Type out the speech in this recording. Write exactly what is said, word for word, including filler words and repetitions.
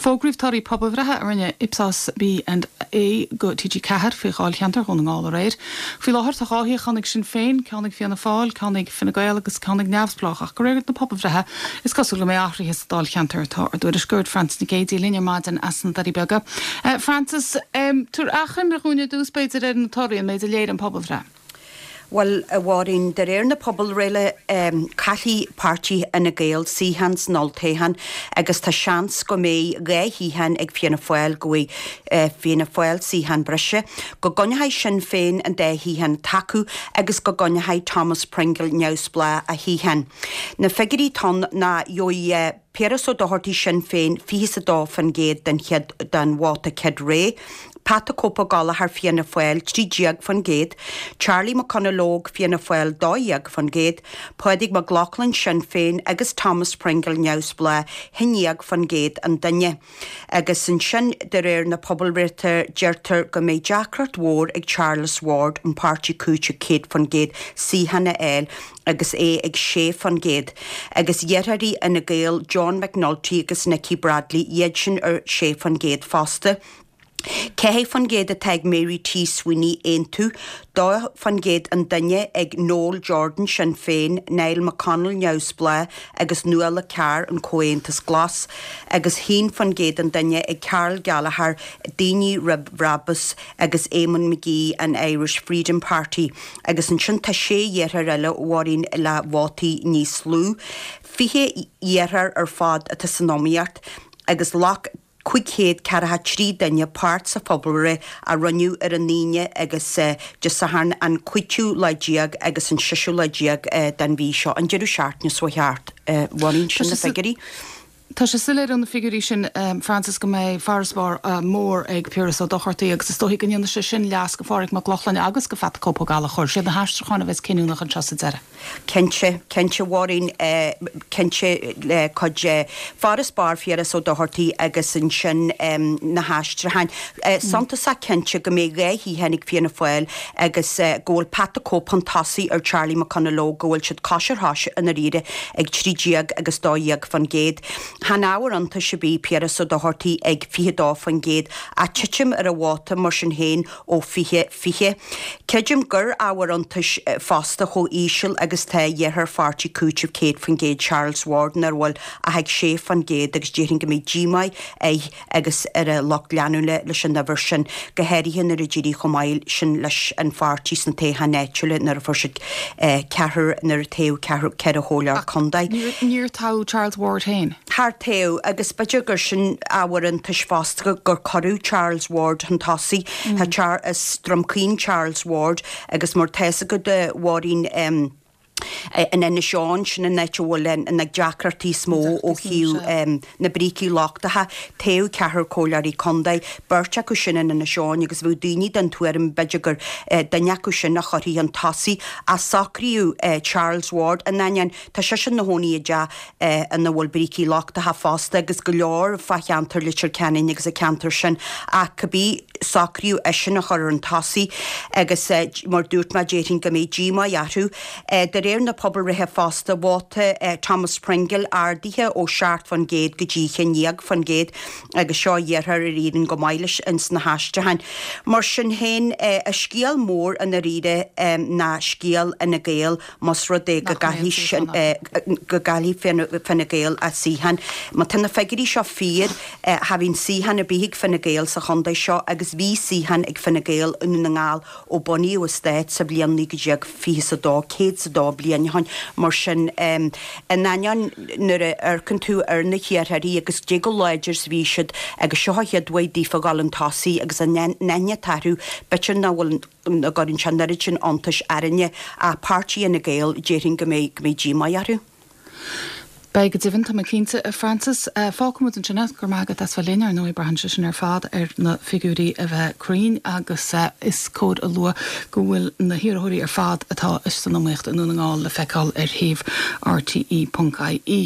Fógraíodh torthaí pobalbhreithe a rinne Ipsos B and A go TG Ceathair faoi dháilcheantar Dhún na nGall aréir. Faoi láthair tá dhá shuíochán ag Sinn Féin, ceann ag Fianna Fáil, ceann ag Fine Gael agus ceann ag Neamhspleách ach de réir na pobalbhreithe is cosúil go mbeidh athruithe sa dáilcheantar atá ár dtuairisceoir Frances Nic Géadaigh linn ar maidin as na Doirí Beaga. Uh, Frances, um, tabhair achoimre dhúinn ar dtús b'fhéidir ar na torthaí an méid a léirigh an pobalbhreith. Well a Mháirín de réir na pobalbhreithe um, caillfidh páirtí Fhine Gael suíochán san olltoghchán agus tá seans go mbeidh dhá shuíochán ag Fianna Fáil go bhfaighidh uh, Fianna Fáil suíochán breise, go gcoinneoidh Sinn Féin an dá shuíochán acu agus go gcoinneoidh Thomas Pringle neamhspleách a shuíochán. Na figiúirí atá ann ná gheobhaidh uh, Piaras Ó Dochartaigh Sinn Féin fiche a dó faoin gcéad den chéad den vóta céad rogha, Pat the Cope Gallagher Fianna Fáil trí déag faoin gcéad, Charlie McConalogue Fianna Fáil dó dhéag faoin gcéad, Pádraig Mac Lochlainn Sinn Féin agus Thomas Pringle neamhspleách haon déag faoin gcéad an duine. Agus ansin de réir na pobalbhreithe deirtear go mbeidh deacracht mhór ag Charles Ward an páirtí Cúiteamh céad faoin gcéad suíochán a fháil agus é ag sé faoin gcéad. Agus deartháirí Fhine Gael John McNulty agus Nicky Bradley iad sin ar sé faoin gcéad fosta. Ceathair faoin gcéad atá ag Mary T Sweeney Aontú, dó faoin gcéad an duine ag Noel Jordan Sinn Féin, Niall McConnell neamhspleách agus Nuala Carr an Comhaontas Glas, agus haon faoin gcéad an duine ag Carl Gallagher, Daoine Roimh Bhrabús agus Eamon McGee an Irish Freedom Party, agus ansin tá sé iarrthóir eile a Mháirín le vótaí níos lú. Fiche iarrthóir ar fad atá san iomaíocht agus ghlac cúig chéad ceathracha trí duine páirt sa phobalbhreith a rinneadh ar an Aoine agus Dé Sathairn an cúigiú lá déag agus an seisiú lá déag den mhí seo an deireadh seachtaine seo thart bhain sin na figiúirí. Tá sé soiléir ó na figiúirí sin um, Frances go mbeidh farasbarr uh, mór ag Piaras Ó Dochartaigh agus is dóigh go ndéanfaidh sé sin leas go Phádraig Mac Lochlainn agus go Phat Cope Ó Gallchóir sé na haistriúcháin a bheas cinniúnach anseo sa deireadh. Cinnte cinnte Mháirín cinnte le cuid farasbarr Phiaras Ó Dochartaigh agus ansin um, na haistriúcháin. Uh, Suntasach cinnte go mbeidh dhá shuíochán ag Fianna Fáil agus uh, go bhfuil Pat the Cope chun tosaigh ar Charlie McConalogue go bhfuil siad cois ar chois i ndáiríre ag trí déag agus dó dhéag faoin gcéad. Chan ábhar iontais ar bith Piaras Ó Dochartaigh ag fiche dó faoin gcéad a titim ar a vóta mar sin féin ó fiche fiche. Creidim gur ábhar iontais fosta chomh íseal agus tá deartháir pháirtí Cúiteamh céad faoin gcéad Charles Ward nach bhfuil ach ag sé faoin gcéad agus déarfainn go mbeidh díomá air agus ar a lucht leanúna leis an uimhir sin go háirithe nuair a d'éirigh chomh maith sin leis an pháirtí sna toghcháin áitiúla nuair a fuair siad ceathair nuair a toghadh ceathair ceithre chomhairleoir contae. Níor toghadh Charles Ward féin. Char toghadh agus b'fhéidir gur sin ábhar iontais fosta gur cuireadh Charles Ward chun tosaigh mm. is Drom Caoin Charles Ward agus mar tá a fhios agat a Mháirín um, in Inis Eoghain sin an áit a bhfuil na deacrachtaí is mó ó thaobh na brící lochtacha toghadh ceathrar comhairleoirí contae beirt acu sin in Inis Eoghain agus bhí daoine den tuairim b'fhéidir gur duine acu sin a chuirfí chun tosaigh a socraíodh Charles Ward in ainneoin tá sé sin ina chónaí i dteach ina bhfuil brící lochtacha fosta agus go leor fá cheantar Leitir Ceanainn agus a ceantar sin ach cibé socraíodh eisean a chur chun tosaigh agus mar dúirt mé déarfainn go mbeidh díomá orthu de réir na pobalbhreithe fosta vóta Thomas Pringle ardaithe ó seacht faoin gcéad go dtí haon déag faoin gcéad agus seo iarrthóir ar éirigh go maith leis ins na haistriúcháin. Mar sin féin a scéal mór i ndáiríre ná scéal Fhine Gael más rud é go gcaillfidh go gcaillfidh Fine Gael a suíochán. Má tá na figiúirí seo fíor cha bhíonn suíochán ar bith ag Fine Gael sa chontae seo agus bhí suíochán ag Fine Gael i nDún na nGall ó bunaíodh an stát sa bhliain naoi déag fiche is a dó céad is a dó bliain ó shin mar sin in ainneoin nuair a amharcann tú ar na hiarrthóirí agus dé go láidir is bhí siad agus seo a chéad uair daofa dhul chun tosaigh agus an aithne atá orthu b'fhéidir nach bhfuil nach gcuireann sé an oiread sin iontais orainne ach páirtí Fhine Gael déarfainn go mbeidh go mbeidh díomá orthu. Beidh go deimhin tá mé cinnte a Frances fágfaimid ansin é go raibh maith agat as bheith linn ar ndóigh braitheann sé sin ar fad ar na figiúirí a bheith cruinn agus is cóir a lua go bhfuil na hiarrthóirí ar fad atá san iomaíocht i nDún na nGall le feiceáil ar shuíomh RTE.ie.